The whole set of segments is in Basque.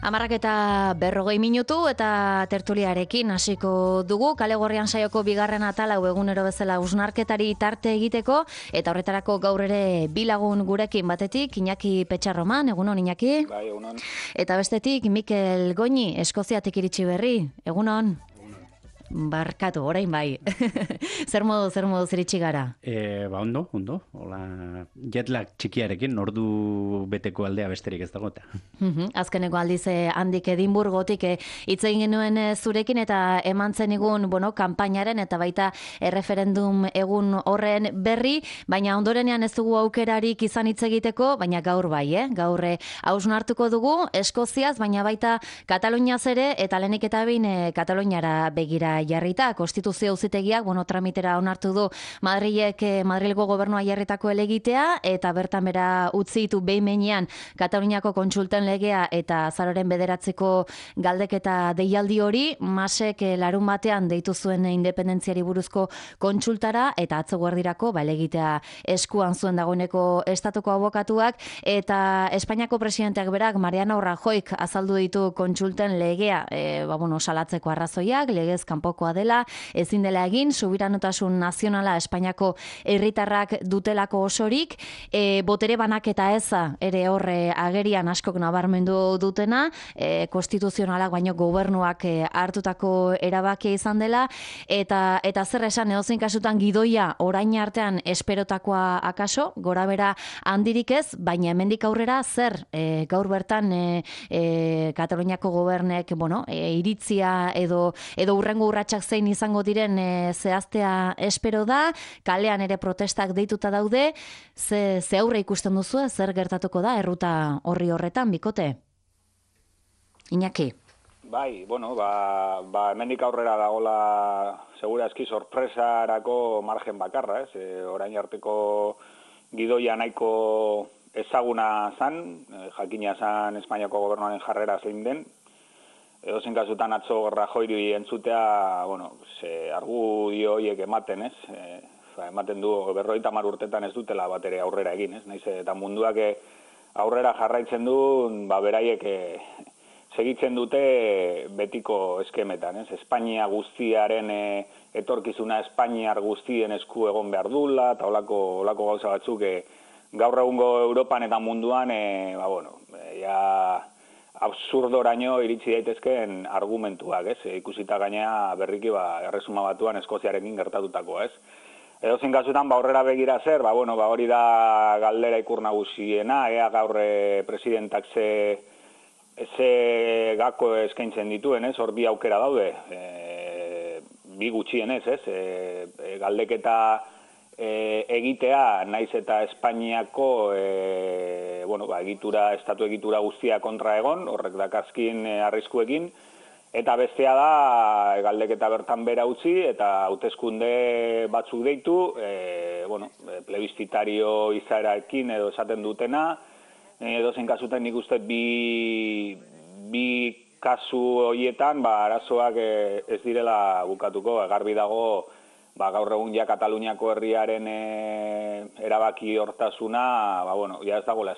10:40 eta tertuliarekin hasiko dugu. Kale Gorrian saioko bigarren atala egunero bezala hausnarketari tarte egiteko eta horretarako gaur ere bi lagun gurekin, batetik Iñaki Petxarroman, egunon Iñaki. Bai, egunon. Eta bestetik Mikel Goñi, Eskoziatik iritsi berri, egunon. Barkatu, orain bai. Zer modu iritsi gara? Ondo. Hola, jetlag txikiarekin, ordu beteko aldea besterik ez dago. Azkeneko aldiz handik Edinburgotik hitz egin genuen zurekin eta eman zenigun, kanpainaren eta baita erreferendum egun horren berri, baina ondorenean ez dugu aukerarik izan hitz egiteko, baina gaur bai, gaur hausnartuko dugu Eskoziaz, baina baita Kataluniaz ere, eta lehenik eta behin Kataluniara begira jarrita, konstituzio auzitegiak tramitera onartu du Madrilgo gobernua jarritako helegitea, eta bertan bera utzi ditu behin-behinean Kataluniako kontsulten legea eta azaroaren 9 galdeketa deialdi hori. Masek larun batean deitu zuen independentziari buruzko kontsultara, eta atzo guardirako helegitea eskuan zuen dagoeneko estatuko abokatuak, eta Espainiako presidenteak berak, Mariano Rajoyk, azaldu ditu kontsulten legea salatzeko arrazoiak, legez kanpokoa dela, ezin dela egin, subiranotasun nazionala Espainiako herritarrak dutelako osorik, botere banaketa eza ere horre agerian askok nabarmendu dutena, konstituzionalak baino gobernuak hartutako erabakia izan dela, eta zer esan edozein kasutan gidoia orain artean esperotakoa akaso, gora bera handirik ez, baina hemendik aurrera zer gaur bertan Kataluniako gobernek iritzia edo urrengo urratsak zein izango diren zehaztea espero da, kalean ere protestak deituta daude, ze aurre ikusten duzu, zer gertatuko da erruta horretan, bikote? Iñaki? Bai, hemendik aurrera dagola segura eski sorpresarako margen bakarra, ez? Orain arteko gidoia nahiko ezaguna zan, jakina zan Espainiako gobernuaren jarrera zein den. Edozein kasutan atzo Rajoyri entzutea, argudio horiek ematen, ez? Ematen du 50 urtetan ez dutela bat ere aurrera egin, ez? Naiz eta munduak aurrera jarraitzen du, beraiek segitzen dute betiko eskemetan, ez? Espainia guztiaren etorkizuna Espainiar guztien esku egon behar dula, eta holako gauza batzuk gaur egungo Europan eta munduan, absurdoraino iritsi daitezkeen argumentuak, ez? Ikusita gainea berriki Erresuma Batuan Eskoziarekin gertatutako, ez? Edozein kasutan aurrera begira zer, hori da galdera ikur nagusiena, ea gaur presidentak ze gako eskaintzen dituen, ez? Hor bi aukera daude, bi gutxienez, ez? Galdeketa egitea, naiz eta Espainiako estatu egitura guztia kontra egon, horrek dakarzkin arriskuekin, eta bestea da galdeketa bertan bera utzi eta hauteskunde batzuk deitu, plebiscitario izaerarekin edo esaten dutena, edozein kasutan nik uste bi kasu horietan arazoak ez direla bukatuko, garbi dago gaur egun Kataluniako herriaren erabaki hortasuna, ez dagoela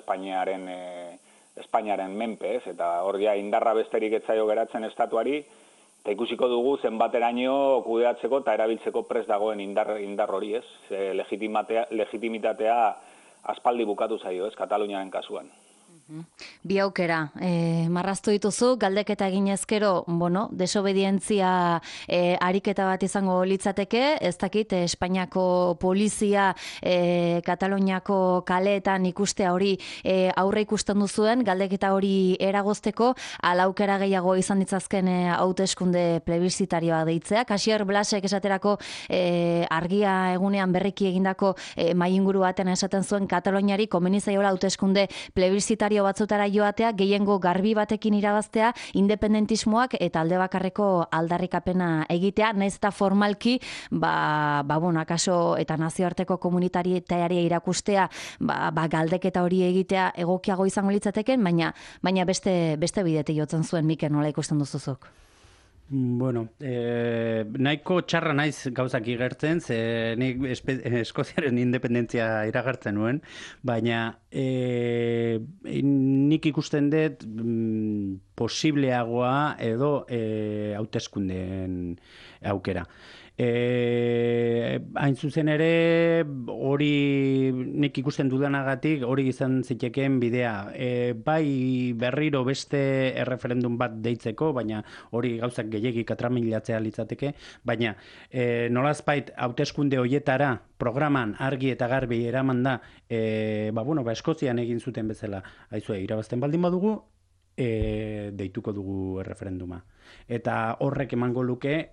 Espainiaren menpe, ez? Eta hor indarra besterik ez zaio geratzen estatuari, eta ikusiko dugu zenbateraino kudeatzeko eta erabiltzeko prest dagoen indar hori, ez? Legitimitatea aspaldi bukatu zaio, ez? Kataluniaren kasuan. Bi aukera, marraztu dituzu, galdeketa egin ezkero, desobedientzia ariketa bat izango litzateke, ez dakit, Espainiako polizia Kataluniako kaleetan ikustea hori aurre ikusten duzuen, galdeketa hori eragozteko, ala aukera gehiago izan ditzazken hauteskunde plebiszitarioa deitzea. Xabier Blasek esaterako argia egunean berriki egindako mainguru baten esaten zuen Kataluniari komeni zaiola hauteskunde plebiszitarioa batzutara joatea, gehiengo garbi batekin irabaztea, independentismoak eta alde bakarreko aldarrikapena egitea, nahiz eta formalki, akaso eta nazioarteko komunitateari irakustea, galdeketa hori egitea egokiago izango litzateken, baina beste bidetik jotzen zuen, Mikel, nola ikusten duzuzuk? Nahiko txarra naiz gauzak igertzen, ze nik Eskoziaren independentzia iragartzen nuen, baina nik ikusten dut posibleagoa edo hauteskundeen aukera. Hain zuzen ere, hori nik ikusten dudanagatik, hori izan zitekeen bidea. Bai berriro beste erreferendum bat deitzeko, baina hori gauzak gehiegi katramilatzea litzateke, baina nolazbait hauteskunde hoietara programan argi eta garbi eraman da, Eskozian egin zuten bezala, aizue, irabazten baldin badugu, deituko dugu erreferenduma. Eta horrek emango luke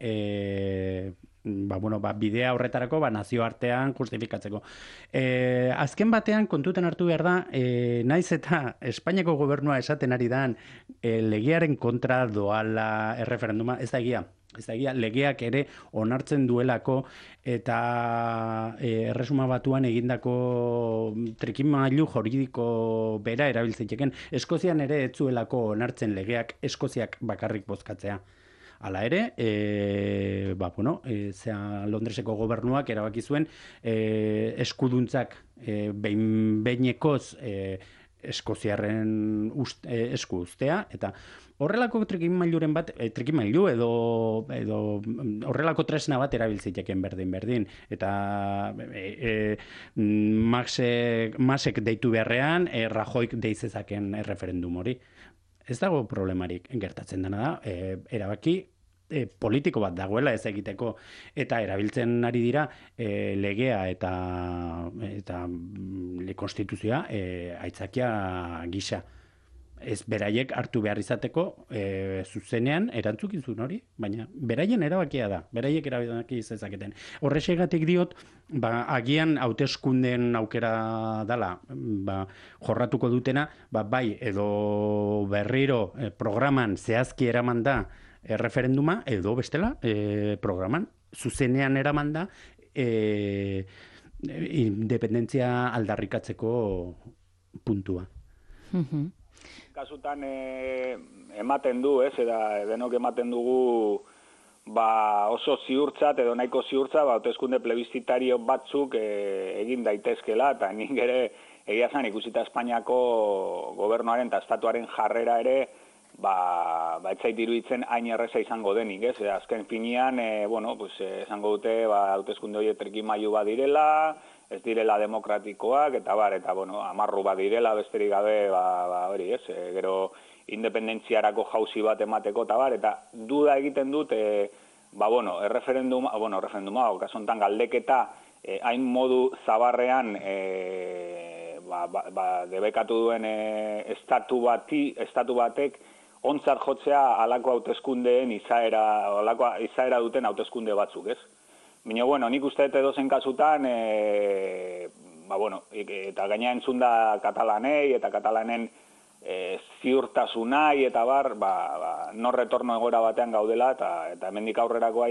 bidea horretarako nazioartean justifikatzeko. Azken batean kontuten hartu behar da, naiz eta Espainiako gobernua esaten ari dan legearen kontra doala erreferenduma, ez da egia. Ez da egia, legeak ere onartzen duelako eta Erresuma Batuan egindako trikimailu juridiko bera erabiltzeiken. Eskozian ere ez zuelako onartzen legeak Eskoziak bakarrik bozkatzea. Hala ere, Londreseko gobernuak erabaki zuen eskuduntzak behinekoz Eskoziarren esku uztea, eta horrelako trikimailu edo horrelako tresna bat erabiltziteken berdin. Eta Masek deitu beharrean, Rajoyk deizezaken referendum hori. Ez dago problemarik, gertatzen dena da, erabaki politiko bat dagoela ez egiteko, eta erabiltzen ari dira legea eta konstituzioa aitzakia gisa. Ez beraiek hartu behar izateko zuzenean erantzukizun hori, baina beraien erabakia da, beraiek erabaki zezaketen. Horrexegatik diot, agian hauteskunden aukera dala, jorratuko dutena, bai edo berriro programan zehazki eraman da referenduma, edo bestela programan zuzenean eraman da independentzia aldarrikatzeko puntua. Kasutan ematen du, denok ematen dugu oso ziurtzat edo nahiko ziurtza hauteskunde plebiscitario batzuk egin daitezkela, eta nik ere egia zan ikusita Espainiako gobernuaren eta estatuaren jarrera ere ez zait iruditzen hain erreza izango denik, ez? Azken finean, esango dute hauteskunde horiek trikimailu bat direla, ez direla demokratikoak, eta amarru bat direla, besterik gabe, hori, ez? Gero independentziarako jauzi bat emateko, eta duda egiten dut, erreferenduma, kasu honetan galdeketa, hain modu zabarrean, debekatu duen estatu batek, ontzat jotzea alako hauteskundeen izaera duten hauteskunde batzuk, ez? Baina, nik uste edozen kasutan, eta gaina entzun da katalanei, eta katalanen ziurtasunai, eta no retorno egora batean gaudela, eta hemendik aurrerakoa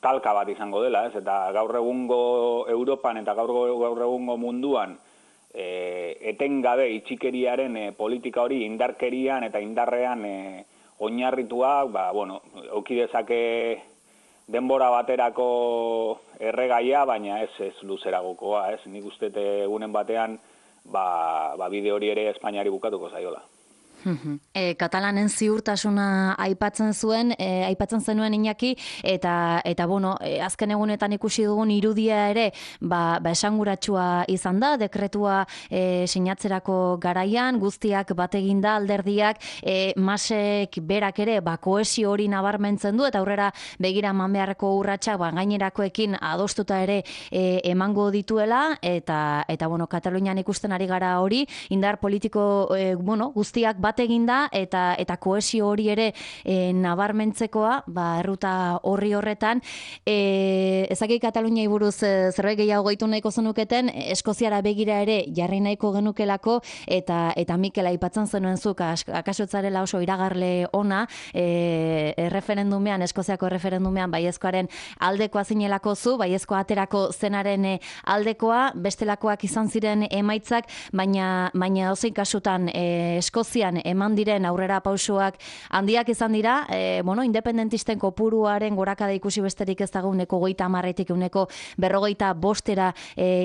talka bat izango dela, ez? Eta gaur egungo Europan eta gaur egungo munduan etengabe itxikeriaren politika hori indarkerian eta indarrean oinarritua, auki dezake denbora baterako erregaia, baina ez luzeragokoa, ez? Nik uste egunen batean bide hori ere Espainiari bukatuko zaiola. Katalanen ziurtasuna aipatzen zenuen Iñaki, eta azken egunetan ikusi dugun irudia ere esanguratsua izan da, dekretua sinatzerako garaian, guztiak bat eginda alderdiak, Masek berak ere kohesio hori nabarmentzen du, eta aurrera begira eman beharreko urratsak gainerakoekin adostuta ere emango dituela, eta Katalunian ikusten ari gara hori, indar politiko guztiak bat eginda, eta kohesio hori ere nabarmentzekoa, erruta horretan. Ezakik Kataluniai buruz zerbait gehiago gehitu nahiko zenuketen, Eskoziara begira ere jarri nahiko genukelako, eta Mikel aipatzen zenuen zuk, akaso zarela oso iragarle ona, Eskoziako referendumean baiezkoaren aldekoa zinelako zu, baiezkoa aterako zenaren aldekoa, bestelakoak izan ziren emaitzak, baina ozein kasutan Eskozian urtean eman diren aurrera pausoak handiak izan dira, independentisten kopuruaren gorakada ikusi besterik ez dago 30%-etik 55%-era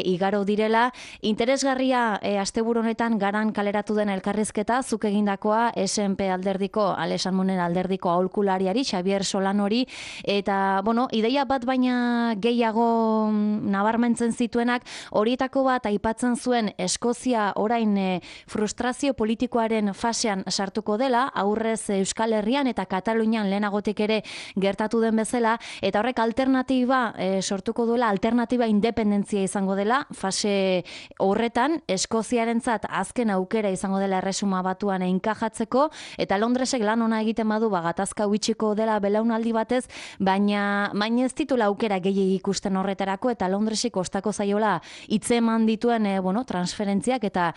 igaro direla. Interesgarria asteburu honetan Garan kaleratu den elkarrizketa, zuk egindakoa SNP alderdiko, Alesan Monen alderdiko aholkulariari, Xavier Solanori, eta, ideia bat baina gehiago nabarmentzen zituenak, horietako bat aipatzen zuen Eskozia orain frustrazio politikoaren fasean sartuko dela, aurrez Euskal Herrian eta Katalunian lehenagotik ere gertatu den bezala, eta horrek alternatiba sortuko duela, alternatiba independentzia izango dela, fase horretan, Eskoziarentzat azken aukera izango dela Erresuma Batuan enkajatzeko, eta Londresek lan ona egiten badu, gatazka huitsiko dela belaunaldi batez, baina ez ditula aukera gehiegi ikusten horretarako, eta Londresik kostako zaiola hitzeman dituen transferentziak eta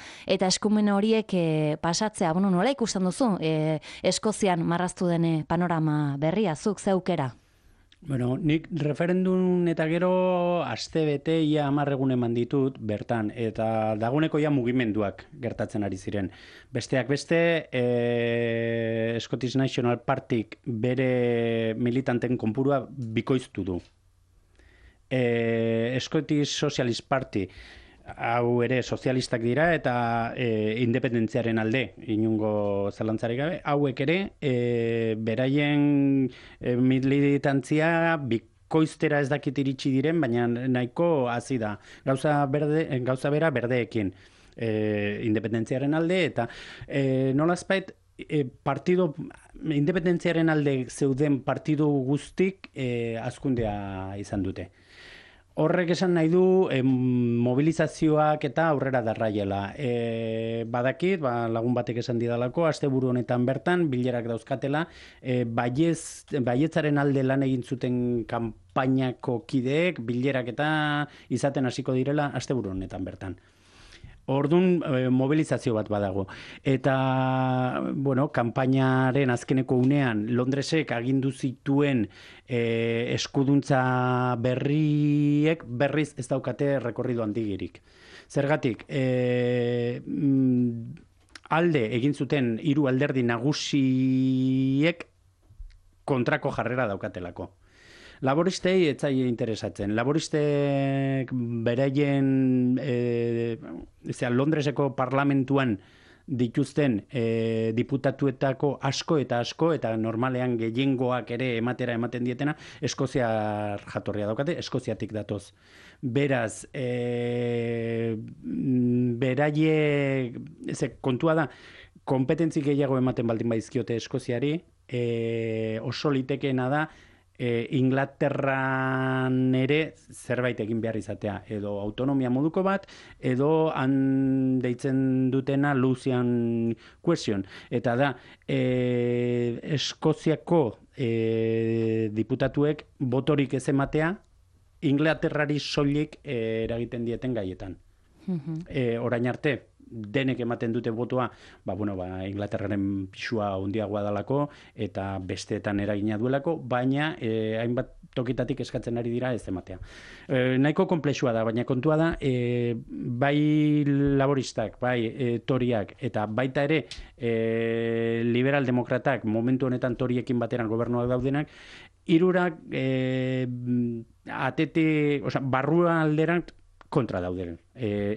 eskumen horiek pasatzea. Nola ikusten duzu Eskozian marraztu den panorama berria, zuk ze aukera? Nik referendum eta gero aste bete ia 10 egun eman ditut bertan, eta dagoeneko ja mugimenduak gertatzen ari ziren. Besteak beste, Scottish National Partyk bere militanten konpurua bikoiztu du. Scottish Socialist Party, hau ere sozialistak dira eta independentziaren alde, inungo zalantzarik gabe, hauek ere beraien militantzia bikoiztera ez dakit iritsi diren, baina nahiko hazi da. Gauza bera berdeekin independentziaren alde, eta nolazpait partido independentziaren alde zeuden partidu guztik hazkundea izan dute. Horrek esan nahi du mobilizazioak eta aurrera darraiela. Badakit, lagun batek esan didalako, asteburu honetan bertan, bilerak dauzkatela, baietzaren alde lan egin zuten kanpainako kideek, bilerak eta izaten hasiko direla asteburu honetan bertan. Ordun mobilizazio bat badago. Eta, kanpainaren azkeneko unean Londresek agindu zituen eskuduntza berriek berriz ez daukate rekorrido handigirik. Zergatik, alde egin zuten 3 alderdi nagusiek kontrako jarrera daukatelako. Laboristei ez zaie interesatzen. Laboristek beraien Londreseko parlamentuan dituzten diputatuetako asko eta normalean gehiengoak ere ematen dietena Eskoziar jatorria daukate, Eskoziatik datoz. Beraz, kontua da, kompetentzi gehiago ematen baldin baizkiote Eskoziari, oso litekeena da Inglaterran ere zerbait egin behar izatea, edo autonomia moduko bat, edo han deitzen dutena Lucian question. Eta da, Eskoziako diputatuek botorik ez ematea, Inglaterrari soilik eragiten dieten gaietan. Orain arte, denek ematen dute botoa, Inglaterraren pisua handiagoa dalako eta besteetan eragina duelako, baina hainbat tokitatik eskatzen ari dira ez ematea. Nahiko konplexua da, baina kontua da, bai laboristak, bai toriak, eta baita ere liberal-demokratak, momentu honetan toriekin bateran gobernuak daudenak, hirurak barrua alderan kontra daude.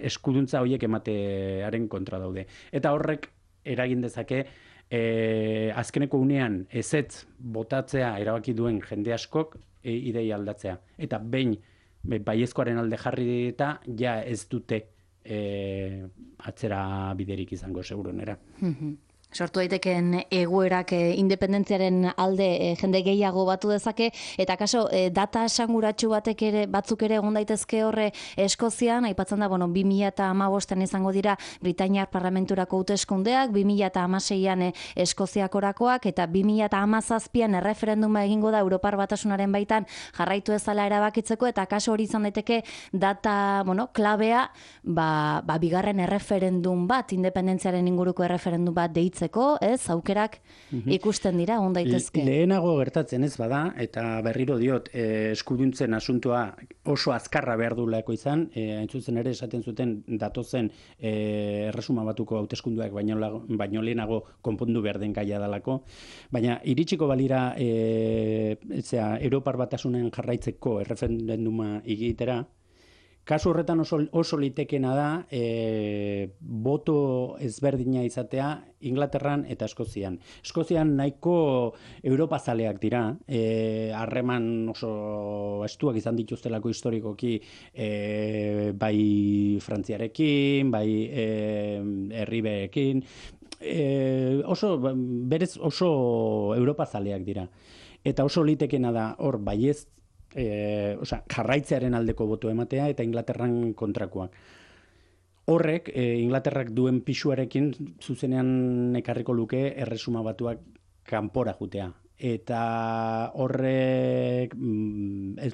Eskuduntza horiek ematearen kontra daude. Eta horrek eragin dezake azkeneko unean ezetz botatzea erabaki duen jende askok ideia aldatzea. Eta behin baiezkoaren alde jarri eta ja ez dute atzera biderik izango seguronera. Sortu daiteken egoerak independentziaren alde jende gehiago batu dezake, eta kaso data esanguratsu batzuk ere egon daitezke horre Eskozian, aipatzen da, 2015an izango dira Britainiar parlamenturako hauteskundeak, 2016an Eskoziakorakoak, eta 2017an erreferenduma egingo da Europar Batasunaren baitan jarraitu ezala erabakitzeko, eta kaso hori izan daiteke data, klabea, bigarren erreferendum bat, independentziaren inguruko erreferendum bat deitzeko emateko, ez, aukerak ikusten dira, on daitezke. Lehenago gertatzen ez bada, eta berriro diot, eskuduntzen asuntoa oso azkarra behar duelako izan, hain zuzen ere esaten zuten datozen Erresuma Batuko hauteskunduak baino lehenago konpondu behar den gaia dalako, baina iritsiko balira Europar Batasunen jarraitzeko erreferenduma egitera, kasu horretan oso litekena da boto ezberdina izatea Inglaterran eta Eskozian. Eskozian nahiko Europazaleak dira, harreman oso estuak izan dituztelako historikoki bai Frantziarekin, bai Herribeekin, berez oso Europazaleak dira. Eta oso litekena da hor baiez jarraitzearen aldeko boto ematea eta Inglaterran kontrakoak. Horrek, Inglaterrak duen pisuarekin zuzenean ekarriko luke Erresuma Batuak kanpora jutea. Eta horrek ez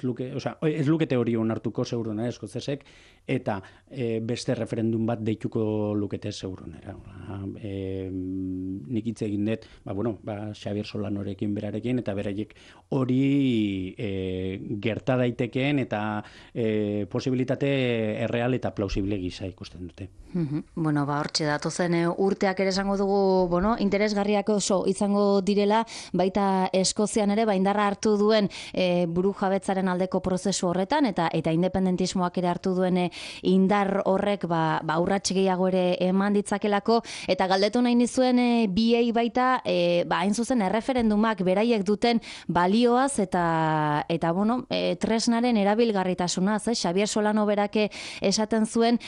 lukete hori onartuko segurunera eskozesek, eta beste referendum bat deituko lukete segurunera. Nik hitz egin dut, Xabier Solanorekin berarekin, eta beraiek hori gerta daitekeen eta posibilitate erreal eta plausible gisa ikusten dute. Hortxe datozen urteak ere esango dugu, interesgarriak oso izango direla, baita Eskozian ere indarra hartu duen burujabetzaren aldeko prozesu horretan eta independentismoak ere hartu duen indar horrek urrats gehiago ere eman ditzakelako, eta galdetu nahi nizuen biei baita hain zuzen erreferendumak beraiek duten balioaz eta tresnaren erabilgarritasunaz, Xabier Solano berake esaten zuen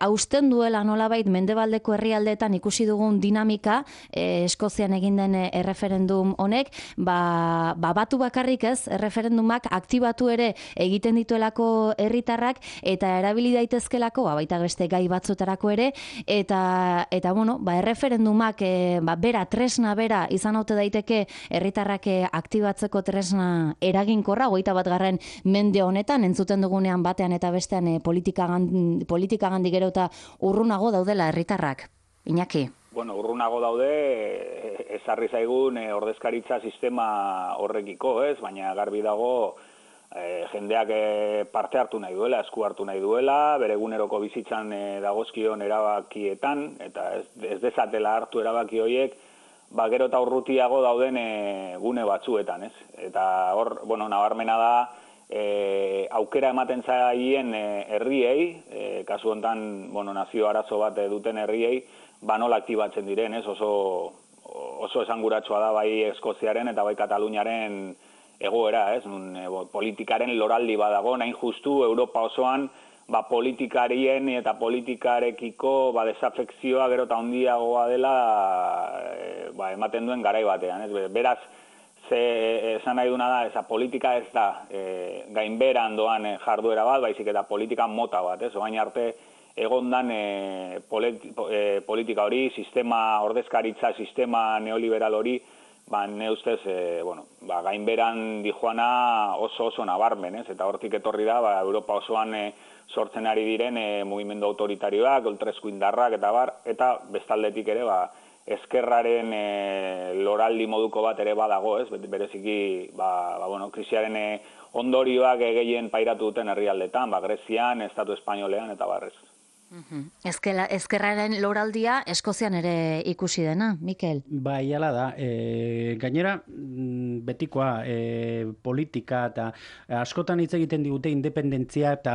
hausten duela nolabait mendebaldeko herrialdeetan ikusi dugun dinamika Eskozian egin den erreferendum honek, batu bakarrik ez, erreferendumak aktibatu ere egiten dituelako herritarrak eta erabili daitezkelako, baita beste gai batzutarako ere, eta erreferendumak bera, tresna bera izan haute daiteke herritarrak aktibatzeko tresna eraginkorra, 21. mende honetan, entzuten dugunean batean eta bestean politikagandik gero eta urrunago daudela herritarrak. Iñaki? Urrunago daude, ezarri zaigun ordezkaritza sistema horrekiko, ez? Baina garbi dago jendeak parte hartu nahi duela, esku hartu nahi duela, bere eguneroko bizitzan dagozkion erabakietan, eta ez dezatela hartu erabaki horiek, gero eta urrutiago dauden gune batzuetan, ez? Eta hor, nabarmena da, aukera ematen zaien herriei, kasu honetan, nazio arazo bat duten herriei, nola aktibatzen diren, ez? Oso esanguratsua da bai Eskoziaren eta bai Kataluniaren egoera, ez? Politikaren loraldi badago, nahin justu Europa osoan, politikarien eta politikarekiko desafekzioa gero eta handiagoa dela ematen duen garai batean, ez? Beraz, esan nahi duna da, politika ez da gainberan doan jarduera bat, baizik eta politika mota bat, ez? Oain arte egondan politika hori, ordezkaritza sistema neoliberal hori, ne ustez, gainberan dijoana oso nabarmen, ez? Eta hortik etorri da, Europa osoan sortzen ari diren mugimendu autoritarioak, ultraesku indarrak, eta bestaldetik ere, ezkerraren loraldi moduko bat ere badago, ez? Bereziki, krisiaren ondorioak gehien pairatu duten herrialdetan, Grezian, Estatu Espainolean, eta barrez. Ezkerraren loraldia Eskozian ere ikusi dena, Mikel? Bai, hala da. Gainera, betikoa politika eta askotan hitz egiten digute independentzia eta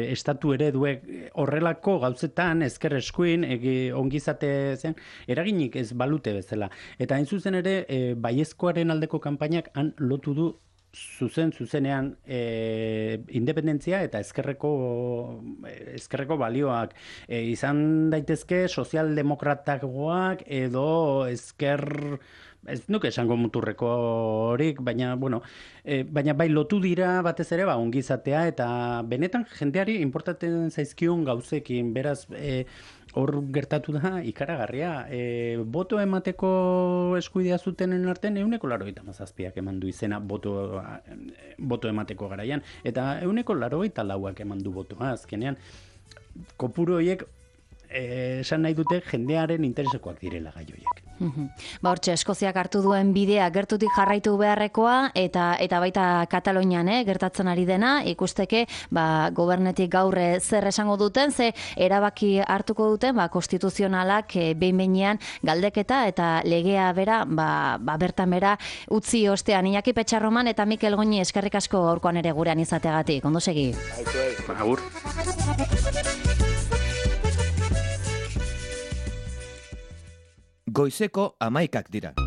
estatu ereduek horrelako gauzetan ezker eskuin ongizate zen eraginik ez balute bezala. Eta hain zuzen ere baiezkoaren aldeko kanpainak han lotu du zuzenean independentzia eta ezkerreko balioak izan daitezke sozialdemokratagoak edo ezker, ez nuke esango muturreko horik, baina bai lotu dira batez ere ongizatea eta benetan jendeari importatzen zaizkion gauzekin, beraz hor gertatu da ikaragarria. Boto emateko eskubidea zutenen artean 87% eman du izena boto emateko garaian. Eta 84% eman du botoa azkenean. Kopuru horiek esan nahi dute jendearen interesekoak direla gai horiek. Hortxe, Eskoziak hartu duen bidea gertutik jarraitu beharrekoa eta baita Katalonian gertatzen ari dena, ikusteke gobernetik gaur zer esango duten, ze erabaki hartuko duten konstituzionalak behin-behinean galdeketa eta legea bera bertan bera utzi ostean. Iñaki Petxarroman eta Mikel Goñi eskerrik asko gaurkoan ere gurean izateagatik. Ondo segi. Agur. Goizeko 11 dira.